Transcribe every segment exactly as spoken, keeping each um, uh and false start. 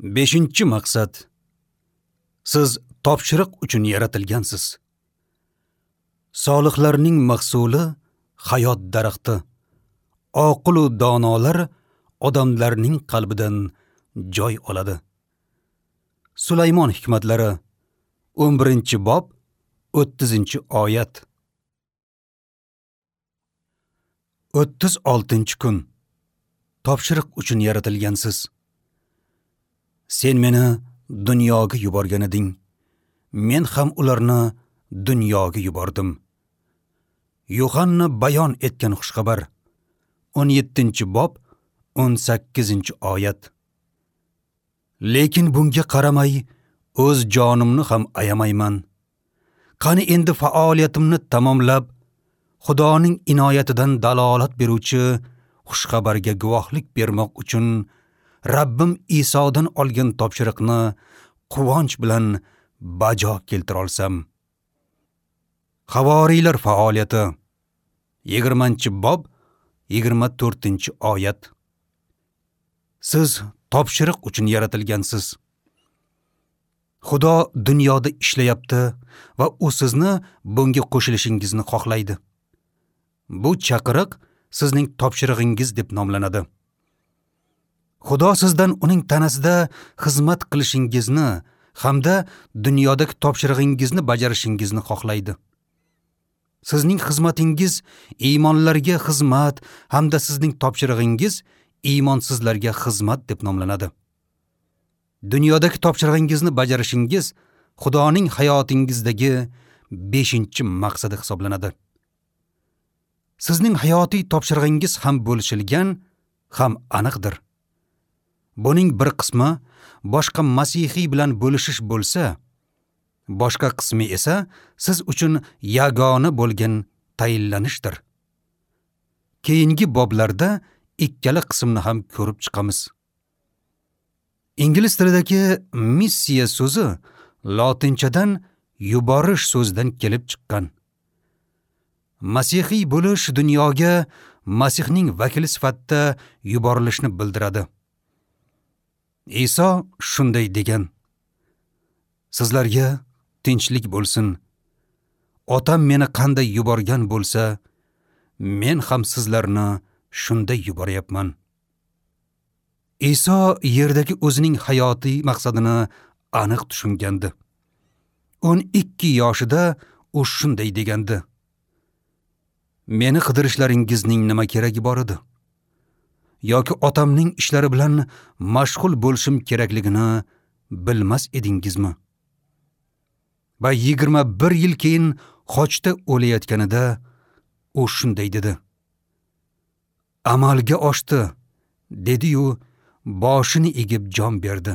Beshinchi maqsad. Siz topshiriq uchun yaratilgansiz. Solihlarning mahsuli hayot daraxti. Oqil u donolar odamlarning qalbidan joy oladi. Sulaymon hikmatlari o'n birinchi bob o'ttizinchi oyat. o'ttiz oltinchi kun. Topshiriq uchun yaratilgansiz. Sen meni dunyoga yuborgan eding. Men ham ularni dunyoga yubordim. Yuhanna bayon etgan xushxabar o'n yettinchi bob o'n sakkizinchi oyat. Lekin bunga qaramay o'z jonimni ham ayamayman. Qani endi faoliyatimni tamomlab, Xudoning inoyatidan dalolat beruvchi xushxabarga guvohlik bermoq uchun Rabbim Isodan olgan topshiriqni quvonch bilan bajo keltira olsam. Havoriylar faoliyati yigirmanchi bob yigirma to'rtinchi oyat. Siz topshiriq uchun yaratilgansiz. Xudo dunyoda ishlayapti va u sizni bunga qo'shilishingizni xohlaydi. Bu chaqiriq sizning topshirig'ingiz deb nomlanadi. Xudo sizdan uning tanasida xizmat qilishingizni hamda dunyodagi topshirig'ingizni bajarishingizni xohlaydi. Sizning xizmatingiz iymonlarga xizmat hamda sizning topshirig'ingiz iymonsizlarga xizmat deb nomlanadi. Dunyodagi topshirig'ingizni bajarishingiz Xudoning hayotingizdagi beshinchi maqsadi hisoblanadi. Sizning hayotiy topshirig'ingiz ham bo'lishilgan, ham aniqdir. Buning bir qismi boshqa masihiy bilan bo'lishish bo'lsa, boshqa qismi esa siz uchun yagona bo'lgan tayinlanishdir. Keyingi boblarda ikkala qismni ham ko'rib chiqamiz. Ingliz tilidagi missiya so'zi lotinchadan yuborish so'zidan kelib chiqqan. Masihiy bo'lish dunyoga Masihning vakili sifatida yuborilishni bildiradi. Iso shunday degan: Sizlarga tinchlik bo'lsin. Otam meni qanday yuborgan bo'lsa, men ham sizlarni shunday yuboryapman. Iso yerdagi o'zining hayotiy maqsadini aniq tushungandi. o'n ikki yoshida u shunday degandi: Meni qidirishlaringizning nima keragi bor edi? Yoki otamning ishlari bilan mashg'ul bo'lishim kerakligini bilmas edingizmi? Va yigirma bir yil keyin xochda o'layotganida u shunday dedi: Amalga oshdi, dedi-yu boshini egib jon berdi.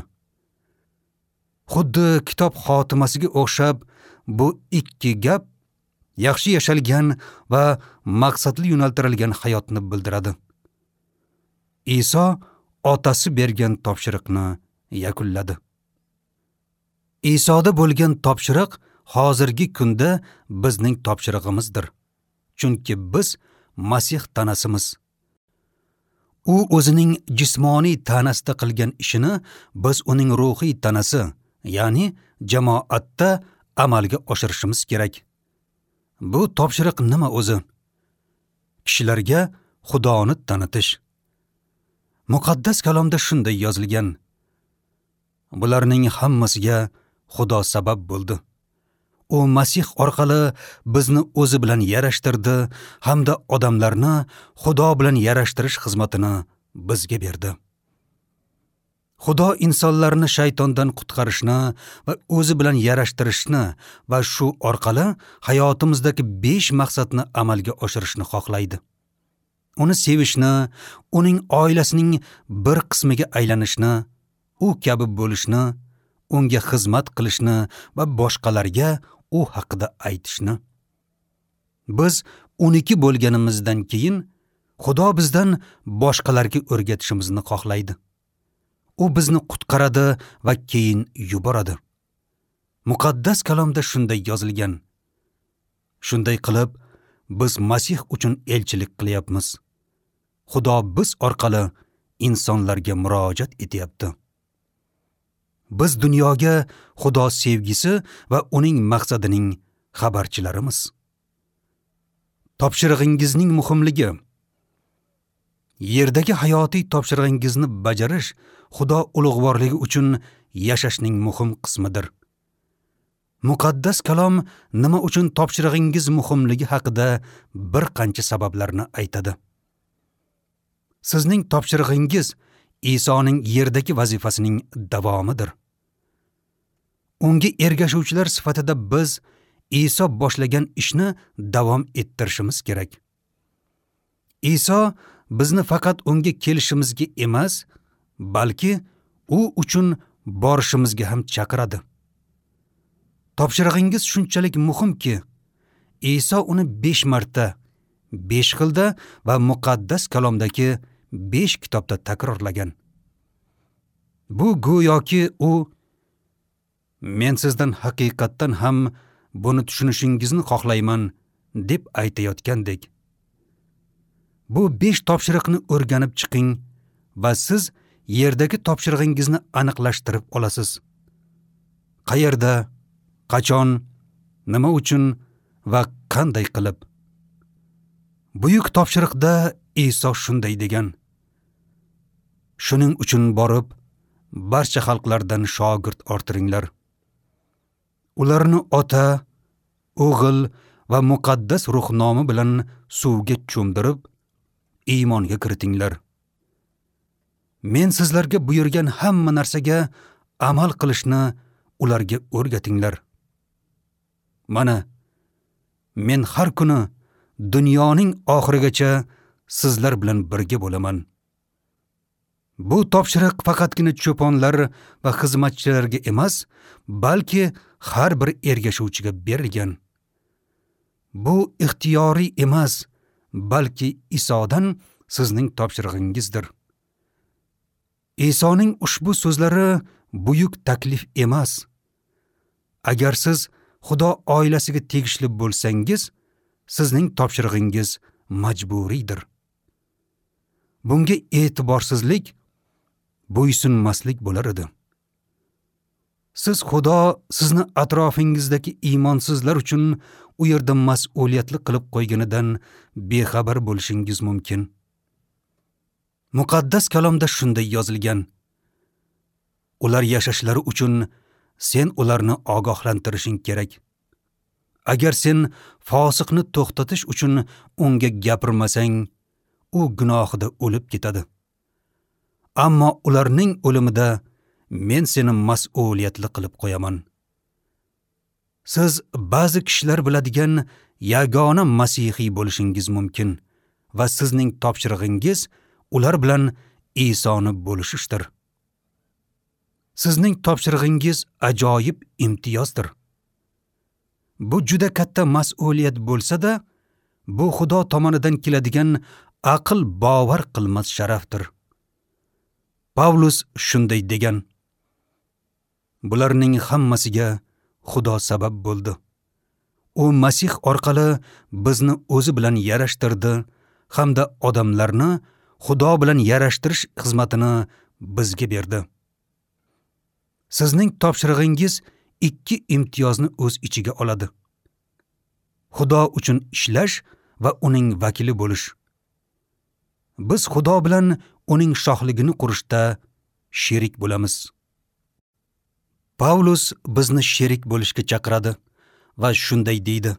Xuddi kitob xotimasiga o'xshab bu ikki gap yaxshi yashalgan va maqsadli yo'naltirilgan hayotni bildiradi. Iso otasi bergan topshiriqni yakunladi. Isoda bo'lgan topshiriq hozirgi kunda bizning topshirig'imizdir. Chunki biz Masih tanasimiz. U o'zining jismoniy tanasida qilgan ishini biz uning ruhiy tanasi, ya'ni jamoatda amalga oshirishimiz kerak. Bu topshiriq nima o'zi? Kishilarga Xudoni tanitish. Muqaddas kalomda shunday yozilgan: Bularning hammasiga Xudo sabab bo'ldi. U Masih orqali bizni o'zi bilan yarashtirdi hamda odamlarni Xudo bilan yarashtirish xizmatini bizga berdi. Xudo insonlarni shaytondan qutqarishni va o'zi bilan yarashtirishni va shu orqali hayotimizdagi besh maqsadni amalga oshirishni xohlaydi. Uni sevishni, uning oilasining bir qismiga aylanishni, u kabi bo'lishni, unga xizmat qilishni va boshqalarga u haqida aytishni. Biz o'n ikki bo'lganimizdan keyin Xudo bizdan boshqalarga o'rgatishimizni xohlaydi. U bizni qutqaradi va keyin yuboradi. Muqaddas kalomda shunday yozilgan: Shunday qilib, biz Masih uchun elchilik qilyapmiz. Xudo biz orqali insonlarga murojaat etyapti. Biz dunyoga Xudo sevgisi va uning maqsadining xabarchilarimiz. Topshirig'ingizning muhimligi. Yerdagi hayotiy topshirig'ingizni bajarish Xudo ulug'vorligi uchun yashashning muhim qismidir. Muqaddas kalom nima uchun topshirig'ingiz muhimligi haqida bir qancha sabablarni aytadi. Sizning topshirig'ingiz Isoning yerdagi vazifasining davomidir. Unga ergashuvchilar sifatida biz Iso boshlagan ishni davom ettirishimiz kerak. Iso bizni faqat unga kelishimizga emas, balki u uchun borishimizga ham chaqiradi. Topshirig'ingiz shunchalik muhimki, Iso uni besh marta, besh xilda va muqaddas kalomdagi besh kitobda takrorlagan. Bu go'yoki u men sizdan haqiqatdan ham buni tushunishingizni xohlayman deb aytayotgandek. Bu besh topshiriqni o'rganib chiqing va siz yerdagi topshirig'ingizni aniqlashtirib olasiz. Qayerda, qachon, nima uchun va qanday qilib? Buyuk topshiriqda Iso shunday degan: Shuning uchun borib, barcha xalqlardan shogird orttiringlar. Ularni Ota, O'g'il va Muqaddas Ruh nomi bilan suvga cho'mdirib, iymonga kiritinglar. Men sizlarga buyurgan hamma narsaga amal qilishni ularga o'rgatinglar. Mana, men har kuni dunyoning oxirigacha sizlar bilan birga bo'laman. Bu topshiriq faqatgina cho'ponlar va xizmatchilarga emas, balki har bir ergashuvchiga berilgan. Bu ixtiyoriy emas, balki Isodan sizning topshirig'ingizdir. Isoning ushbu so'zlari buyuk taklif emas. Agar siz Xudo oilasiga tegishli bo'lsangiz, sizning topshirig'ingiz majburiydir. Bunga e'tiborsizlik, bo'ysunmaslik bo'lar edi. Siz Xudo sizni atrofingizdagi iymonsizlar uchun u yerda mas'uliyatli qilib qo'yganidan bexabar bo'lishingiz mumkin. Muqaddas kalomda shunday yozilgan: Ular yashashlari uchun sen ularni ogohlantirishing kerak. Agar sen fosiqni to'xtatish uchun unga gapirmasang, u gunohida o'lib ketadi. Ammo ularning o'limida men seni mas'uliyatli qilib qo'yaman. Siz ba'zi kishilar biladigan yagona masihiy bo'lishingiz mumkin va sizning topshirig'ingiz ular bilan Isoni bo'lishishdir. Sizning topshirig'ingiz ajoyib imtiyozdir. Bu juda katta mas'uliyat bo'lsa-da, bu Xudo tomonidan keladigan aql bovar qilmas sharafdir. Pavlus shunday degan: Bularning hammasiga Xudo sabab bo'ldi. U Masih orqali bizni o'zi bilan yarashtirdi hamda odamlarni Xudo bilan yarashtirish xizmatini bizga berdi. Sizning topshirig'ingiz ikki imtiyozni o'z ichiga oladi. Xudo uchun ishlash va uning vakili bo'lish. Biz Xudo bilan uning shohligini qurishda sherik bo'lamiz. Pavlus bizni sherik bo'lishga chaqiradi va shunday deydi: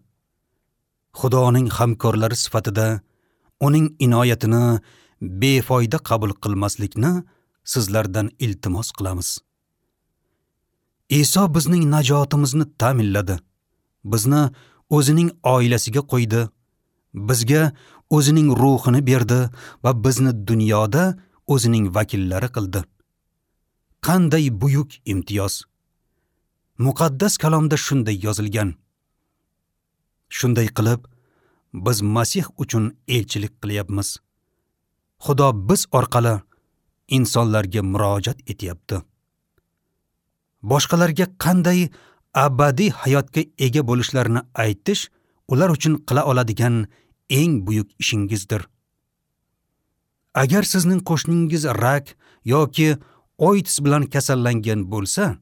Xudoning hamkorlari sifatida uning inoyatini befoyda qabul qilmaslikni sizlardan iltimos qilamiz. Iso bizning najotimizni ta'minladi. Bizni o'zining oilasiga qo'ydi. Bizga o'zining ruhini berdi va bizni dunyoda o'zining vakillari qildi. Qanday buyuk imtiyoz! Muqaddas kalomda shunday yozilgan: Shunday qilib, biz Masih uchun elchilik qilyapmiz. Xudo biz orqali insonlarga murojaat etyapti. Boshqalarga qanday abadiy hayotga ega bo'lishlarini aytish ular uchun qila oladigan eng buyuk ishingizdir. Agar sizning qo'shningiz rak yoki O I D S bilan kasallangan bo'lsa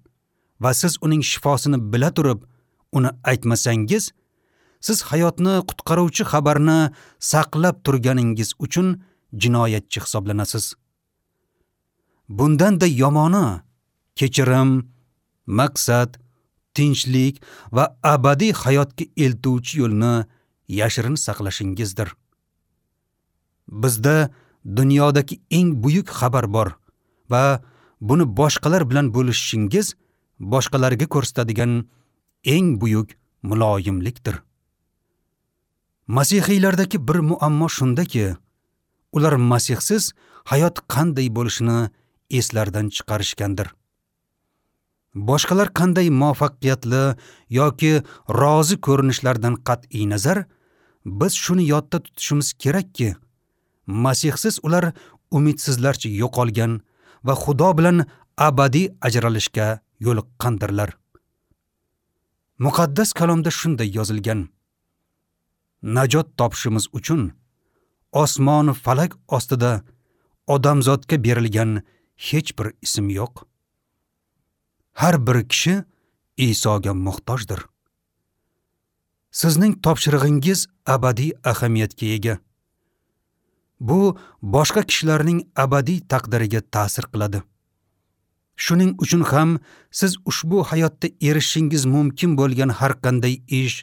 va siz uning shifosini bila turib uni aytmasangiz, siz hayotni qutqaruvchi xabarni saqlab turganingiz uchun jinoyatchi hisoblanasiz. Bundan-da yomoni kechirim, maqsad, tinchlik va abadiy hayotga eltuvchi yo'lni yashirin saqlashingizdir. Bizda dunyodagi eng buyuk xabar bor va buni boshqalar bilan bo'lishishingiz boshqalarga ko'rsatadigan eng buyuk muloyimlikdir. Masihiylardagi bir muammo shundaki, ular Masihsiz hayot qanday bo'lishini eslaridan chiqarishgandir. Boshqalar qanday muvaffaqiyatli yoki rozi ko'rinishlaridan qat'iy nazar, biz shuni yodda tutishimiz kerakki, Masihsiz ular umidsizlarcha yo'qolgan va Xudo bilan abadiy ajralishga yo'liqqandirlar. Muqaddas kalomda shunday yozilgan: Najot topishimiz uchun osmon falak ostida odamzodga berilgan hech bir ism yo'q. Har bir kishi Isoga muhtojdir. Sizning topshirig'ingiz abadiy ahamiyatga ega. Bu boshqa kishilarning abadiy taqdiriga ta'sir qiladi. Shuning uchun ham siz ushbu hayotda erishishingiz mumkin bo'lgan har qanday ish,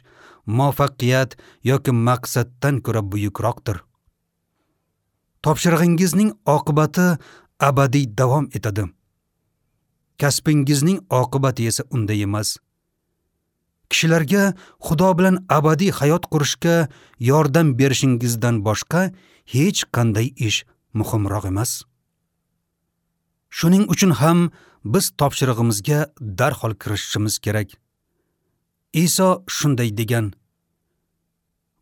muvaffaqiyat yoki maqsaddan ko'ra buyukroqdir. Topshirig'ingizning oqibati abadiy davom etadi. Kasbingizning oqibati esa unday emas. Kishilarga Xudo bilan abadiy hayot qurishga yordam berishingizdan boshqa hech qanday ish muhimroq emas. Shuning uchun ham biz topshirig'imizga darhol kirishishimiz kerak. Iso shunday degan: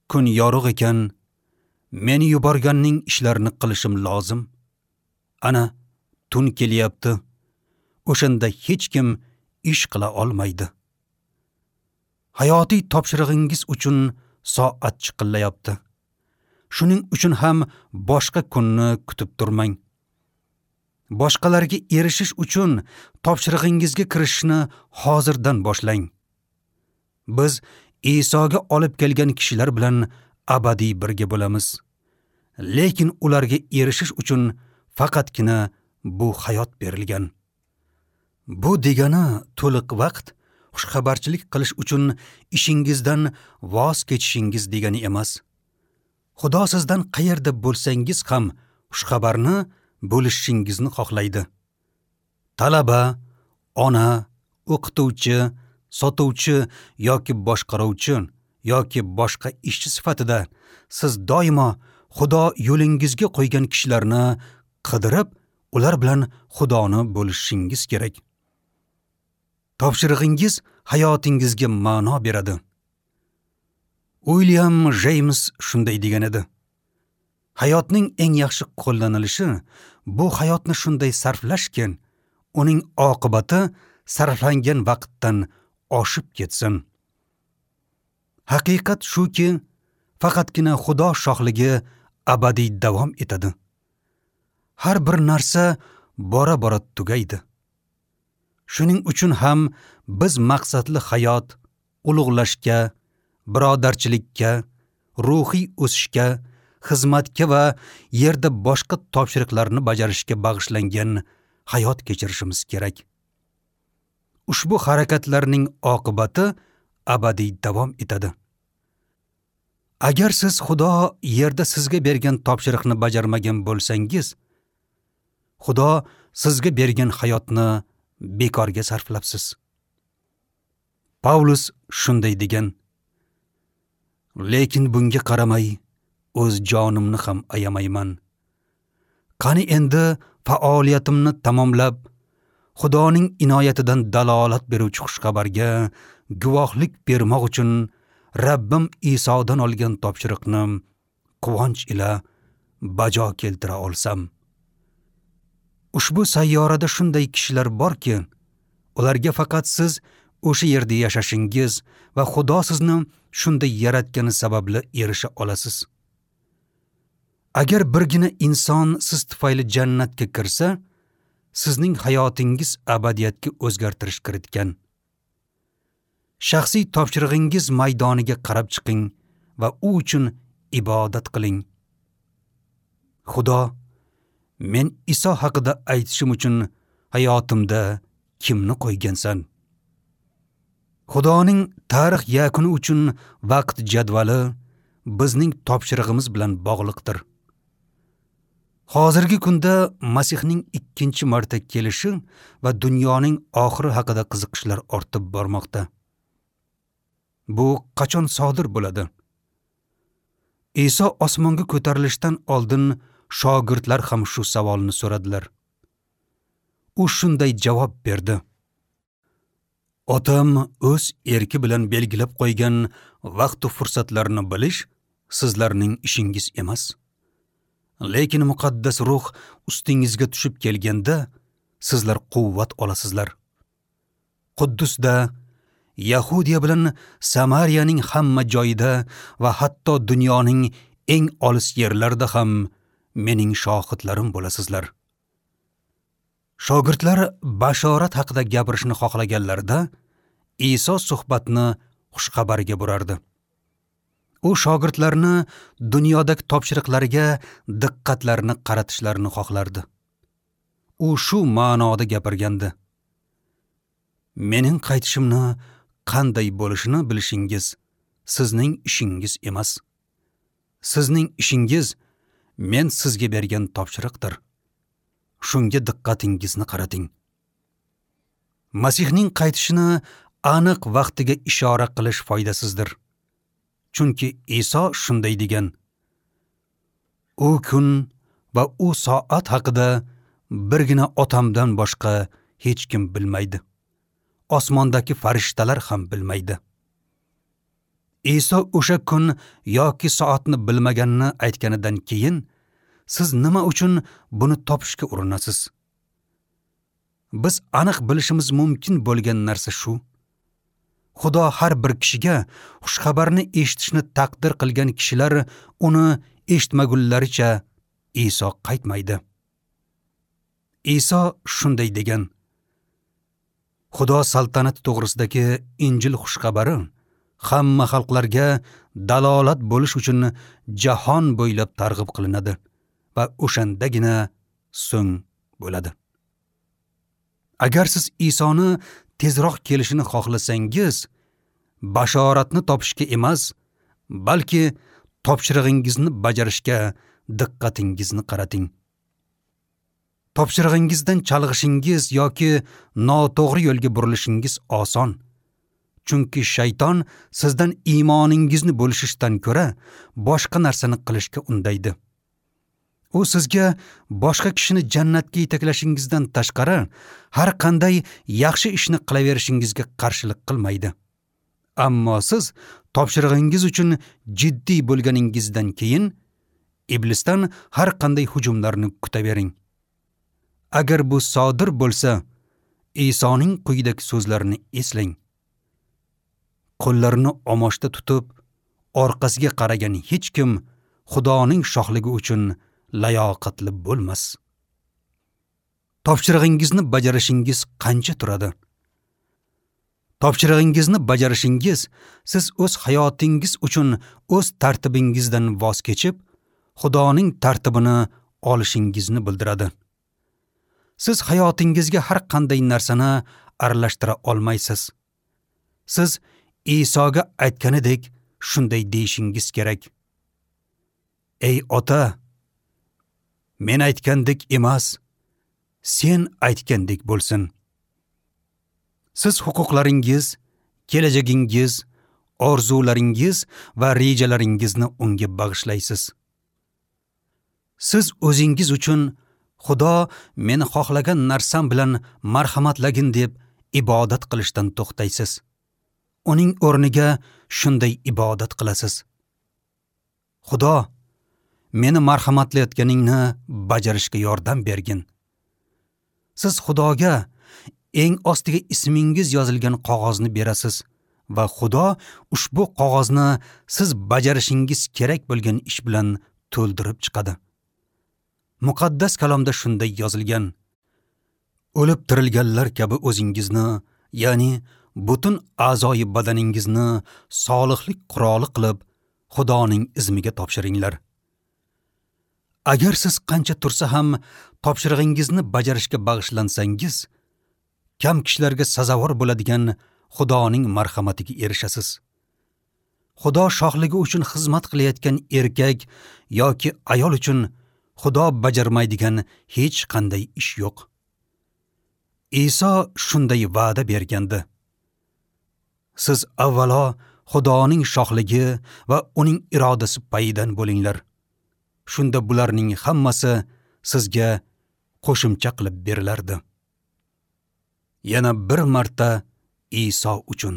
Kun yorug' ekan, meni yuborganning ishlarini qilishim lozim. Ana tun kelyapti. O'shanda hech kim ish qila olmaydi. Hayotiy topshirig'ingiz uchun soat chiqillayapti. Shuning uchun ham boshqa kunni kutib turmang. Boshqalarga erishish uchun topshirig'ingizga kirishni hozirdan boshlang. Biz Isoga olib kelgan kishilar bilan abadiy birga bo'lamiz. Lekin ularga erishish uchun faqatgina bu hayot berilgan. Bu degani to'liq vaqt xushxabarchilik qilish uchun ishingizdan voz kechishingiz degani emas. Xudo sizdan qayerda bo'lsangiz ham xushxabarni bo'lishishingizni xohlaydi. Talaba, ona, o'qituvchi, sotuvchi yoki boshqaruvchi yoki boshqa ishchi sifatida siz doimo Xudo yo'lingizga qo'ygan kishilarni qidirib, ular bilan Xudoni bo'lishishingiz kerak. Topshirig'ingiz hayotingizga ma'no beradi. Uilyam Jeyms shunday degan edi: Hayotning eng yaxshi qo'llanilishi bu hayotni shunday sarflashki, uning oqibati sarflangan vaqtdan oshib ketsin. Haqiqat shuki, faqatgina Xudo shohligi abadiy davom etadi. Har bir narsa bora-bora tugaydi. Shuning uchun ham biz maqsadli hayot, ulug'lashga, birodarchilikka, ruhiy o'sishga, xizmatga va yerda boshqa topshiriqlarni bajarishga bag'ishlangan hayot kechirishimiz kerak. Ushbu harakatlarning oqibati abadiy davom etadi. Agar siz Xudo yerda sizga bergan topshiriqni bajarmagan bo'lsangiz, Xudo sizga bergan hayotni bekorga sarflabsiz. Pavlus shunday degan: Lekin bunga qaramay o'z jonimni ham ayamayman. Qani endi faoliyatimni tamomlab, Xudoning inoyatidan dalolat beruvchi xushxabarga guvohlik bermoq uchun Rabbim Isodan olgan topshiriqni quvonch ila bajo keltira olsam. Ushbu sayyorada shunday kishilar borki, ularga faqat siz o'sha yerda yashashingiz va Xudo sizni shunday yaratgani sababli erisha olasiz. Agar birgina inson siz tufayli jannatga kirsa, sizning hayotingiz abadiyatga o'zgartirish kiritgan. Shaxsiy topshirig'ingiz maydoniga qarab chiqing va u uchun ibodat qiling. Xudo, men Iso haqida aytishim uchun hayotimda kimni qo'ygansan? Xudoning tarix yakuni uchun vaqt jadvali bizning topshirig'imiz bilan bog'liqdir. Hozirgi kunda Masihning ikkinchi marta kelishi va dunyoning oxiri haqida qiziqishlar ortib bormoqda. Bu qachon sodir bo'ladi? Iso osmonga ko'tarilishdan oldin shogirdlar ham shu savolni so'radilar. U shunday javob berdi: Otam o'z erki bilan belgilab qo'ygan vaqt va fursatlarni bilish sizlarning ishingiz emas. Lekin muqaddas ruh ustingizga tushib kelganda sizlar quvvat olasizlar. Quddusda, Yahudiya bilan Samariyaning hamma joyida va hatto dunyoning eng olis yerlarida ham mening shohidlarim bo'lasizlar. Shogirdlar bashorat haqida gapirishni xohlaganlarida Iso suhbatni xushxabarga burardi. U shogirdlarni dunyodagi topshiriqlarga diqqatlarini qaratishlarini xohlardi. U shu ma'noda gapirgandi: Mening qaytishimni qanday bo'lishini bilishingiz sizning ishingiz emas. Sizning ishingiz men sizga bergan topshiriqdir. Shunga diqqatingizni qarating. Masihning qaytishini aniq vaqtiga ishora qilish foydasizdir. Chunki Iso shunday degan: U kun va u soat haqida birgina otamdan boshqa hech kim bilmaydi. Osmondagi farishtalar ham bilmaydi. Iso o'sha kun yoki soatni bilmaganini aytganidan keyin siz nima uchun buni topishga urinasiz? Biz aniq bilishimiz mumkin bo'lgan narsa shu: Xudo har bir kishiga xushxabarni eshitishni taqdir qilgan kishilar uni eshitmagunlaricha Iso qaytmaydi. Iso shunday degan: Xudo saltanati to'g'risidagi Injil xushxabari hamma xalqlarga dalolat bo'lish uchun jahon bo'ylab targ'ib qilinadi va o'shandagina so'ng bo'ladi. Agar siz Isoni tezroq kelishini xohlasangiz, bashoratni topishga emas, balki topshirig'ingizni bajarishga diqqatingizni qarating. Topshirig'ingizdan chalg'ishingiz yoki noto'g'ri yo'lga burilishingiz oson. Chunki shayton sizdan iymoningizni bo'lishishdan ko'ra boshqa narsani qilishga undaydi. U sizga boshqa kishini jannatga yetaklashingizdan tashqari har qanday yaxshi ishni qilaverishingizga qarshilik qilmaydi. Ammo siz topshirig'ingiz uchun jiddiy bo'lganingizdan keyin iblisdan har qanday hujumlarni kutavering. Agar bu sodir bo'lsa, Isoning quyidagi so'zlarini eslang: Qo'llarini omochda tutib, orqasiga qaragan hech kim Xudoning shohligi uchun layoqatli bo'lmas. Topshirig'ingizni bajarishingiz qancha turadi? Topshirig'ingizni bajarishingiz siz o'z hayotingiz uchun o'z tartibingizdan voz kechib, Xudoning tartibini olishingizni bildiradi. Siz hayotingizga har qanday narsani aralashtira olmaysiz. Siz Isoga aytganidek shunday deyishingiz kerak: Ey ota, men aytgandek emas, sen aytgandek bo'lsin. Siz huquqlaringiz, kelajagingiz, orzularingiz va rejalaringizni unga bag'ishlaysiz. Siz o'zingiz uchun Xudo meni xohlagan narsam bilan marhamatlagin deb ibodat qilishdan to'xtaysiz. Uning o'rniga shunday ibodat qilasiz: Xudo, meni marhamatlayotganingni bajarishga yordam bergin. Siz Xudoga eng ostiga ismingiz yozilgan qog'ozni berasiz va Xudo ushbu qog'ozni siz bajarishingiz kerak bo'lgan ish bilan to'ldirib chiqadi. Muqaddas kalomda shunday yozilgan: O'lib tirilganlar kabi o'zingizni, ya'ni butun a'zoyi badaningizni solihlik quroli qilib Xudoning izmiga topshiringlar. Agar siz qancha tursa ham topshirig'ingizni bajarishga bag'ishlansangiz, kam kishilarga sazovor bo'ladigan Xudoning marhamatiga erishasiz. Xudo shohligi uchun xizmat qilayotgan erkak yoki ayol uchun Xudo bajarmaydigan hech qanday ish yo'q. Iso shunday va'da bergandi. Siz avvalo Xudoning shohligi va uning irodasi payidan bo'linglar. Shunda bularning hammasi sizga qo'shimcha qilib berilardi. Yana bir marta Iso uchun.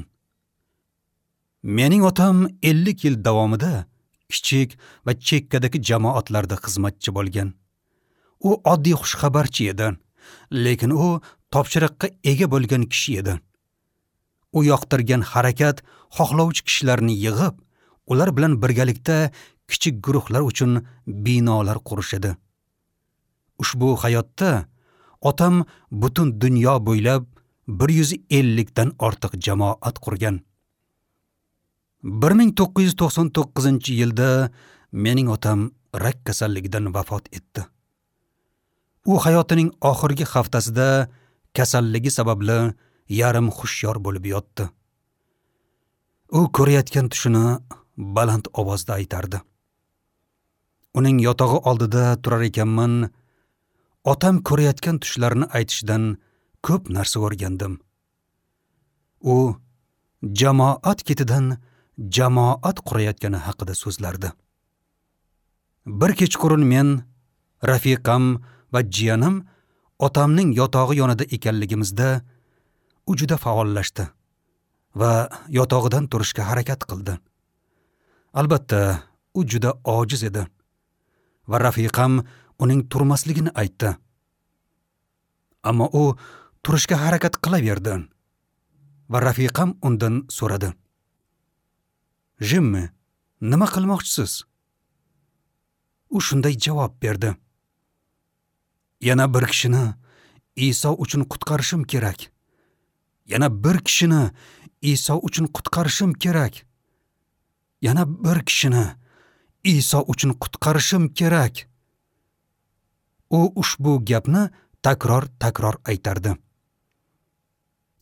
Mening otam ellik yil davomida kichik va chekkadagi jamoatlarda xizmatchi bo'lgan. U oddiy xushxabarchi edi, lekin u topshiriqqa ega bo'lgan kishi edi. U yoqtirgan harakat xohlovchi kishilarni yig'ib, ular bilan birgalikda kichik guruhlar uchun binolar qurish edi. Ushbu hayotda otam butun dunyo bo'ylab bir yuz ellikdan ortiq jamoat qurgan. bir ming to'qqiz yuz to'qson to'qqizinchi yilda mening otam rak kasalligidan vafot etdi. U hayotining oxirgi haftasida kasalligi sababli yarim hushyor bo'lib yotdi. U ko'rayotgan tushini baland ovozda aytardi. Uning yotog'i oldida turar ekanman, otam ko'rayotgan tushlarini aytishidan ko'p narsa o'rgandim. U jamoat ketidan jamoat qurayotgani haqida so'zlardi. Bir kechqurun men, rafiqam va jiyanim otamning yotog'i yonida ekanligimizda u juda faollashdi va yotog'idan turishga harakat qildi. Albatta, u juda ojiz edi va rafiqam uning turmasligini aytdi. Ammo u turishga harakat qilaverdi va rafiqam undan so'radi. Jimmi, nima qilmoqchisiz? U shunday javob berdi. Yana bir kishini Iso uchun qutqarishim kerak. Yana bir kishini Iso uchun qutqarishim kerak. Yana bir kishini Iso uchun qutqarishim kerak. U ushbu gapni takror-takror aytardi.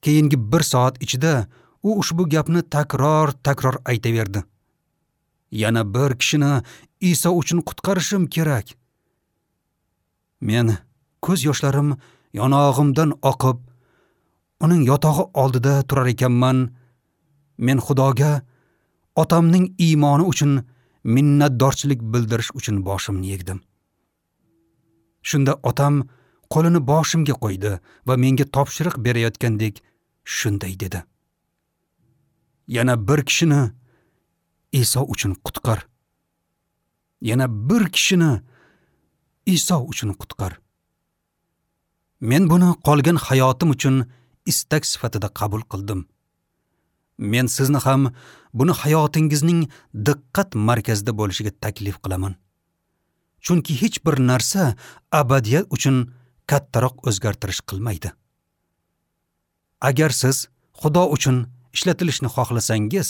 Keyingi bir soat ichida u ushbu gapni takror-takror aytaverdi. Yana bir kishini Iso uchun qutqarishim kerak. Men ko'z yoshlarim yonog'imdan oqib, uning yotog'i oldida turar ekanman. Men Xudoga otamning iymoni uchun minnatdorchilik bildirish uchun boshimni egdim. Shunda otam qo'lini boshimga qo'ydi va menga topshiriq berayotgandek shunday dedi. Yana bir kishini Iso uchun qutqar. Yana bir kishini Iso uchun qutqar. Men buni qolgan hayotim uchun istak sifatida qabul qildim. Men sizni ham buni hayotingizning diqqat markazida bo'lishiga taklif qilaman. Chunki hech bir narsa abadiyat uchun kattaroq o'zgartirish qilmaydi. Agar siz Xudo uchun ishlatilishni xohlasangiz,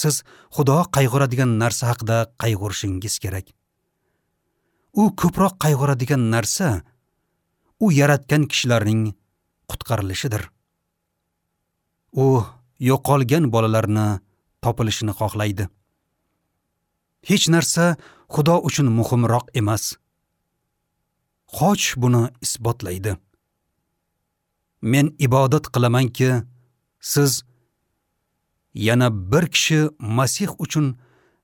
siz Xudo qayg'uradigan narsa haqida qayg'urishingiz kerak. U ko'proq qayg'uradigan narsa u yaratgan kishilarning qutqarilishidir. U yo'qolgan bolalarni topilishini xohlaydi. Hech narsa Xudo uchun muhimroq emas. Xoch buni isbotlaydi. Men ibodat qilamanki, siz yana bir kishi Masih uchun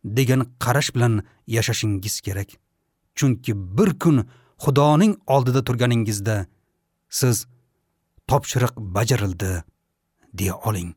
degan qarash bilan yashashingiz kerak. Chunki bir kun Xudoning oldida turganingizda siz topshiriq bajarildi deya oling.